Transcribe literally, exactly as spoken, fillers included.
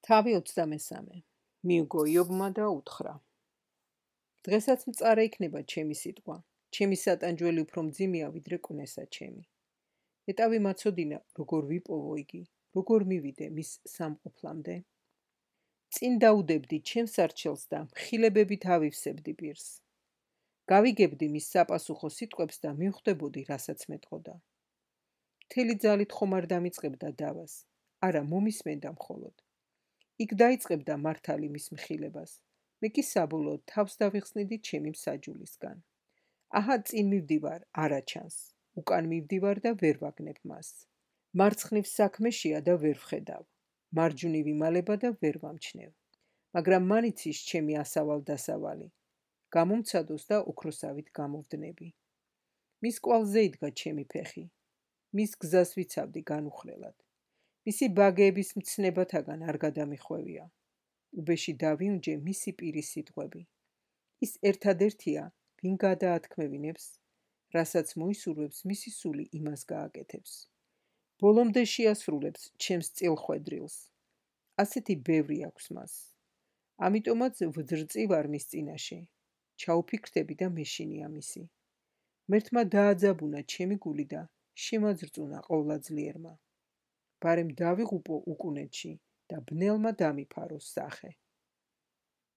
თავი ოცდამესამე. მიუგო იობმა და უთხრა. დღესაც მწარე იქნება ჩემი სიტყვა. ჩემი სატანჯველი უფრო მძიმეა ვიდრე კვნესა ჩემი. ეტავი მაცოდინა, როგორ ვიპოვო იგი, როგორ მივიდე მის სამყოფლამდე. წინ დაუდებდი ჩემს არჩელს და მხილებებით ავივსებდი პირს. გავიგებდი მის საპასუხო სიტყვებს და მივხვდებოდი, რასაც მეტყოდა. მთელი ძალით ხომ არ დამიწყებდა დავას, არა მომისმენდა მხოლოდ. იქ დაიწყებდა მართალი მის მხილებას. მე კი საბოლოოდ თავს დავიხსნიდი ჩემი მსაჯულისგან. აჰა წინ მივდივარ, არა ჩანს. უკან მივდივარ და ვერ ვაგნებ მას. მარცხნივ საქმეშია და ვერ ვხედავ. მარჯვნივ იმალება და ვერ ვამჩნევ. მაგრამ მან იცის ჩემი ასავალ დასავალი. გამომცადოს და ოქროსავით გამოვდნები. მის კვალზე იდგა ჩემი ფეხი. მის გზას ვიცავდი განუხრელად. მისი ბაგეების მცნებათაგან არ გადამიხვევია. უბეში დავიუნჯე მისი პირის სიტყვები. ის ერთადერთია, ვინ გადაათქმევინებს, რასაც მოისურვებს მისი სული იმას გააკეთებს. ბოლომდე შეასრულებს ჩემს წილხვედრილს. ასეთი ბევრი აქვს მას. ამიტომაც ვძრწივარ მის წინაშე. ჩაუფიქრდები და მეშინია მისი. მერთმა დააძაბუნა ჩემი გული და შემაძრწუნა ყოვლადძლიერმა. ბარემ დავიღუპო უკუნეთში და ბნელმა დამიფარო სახე.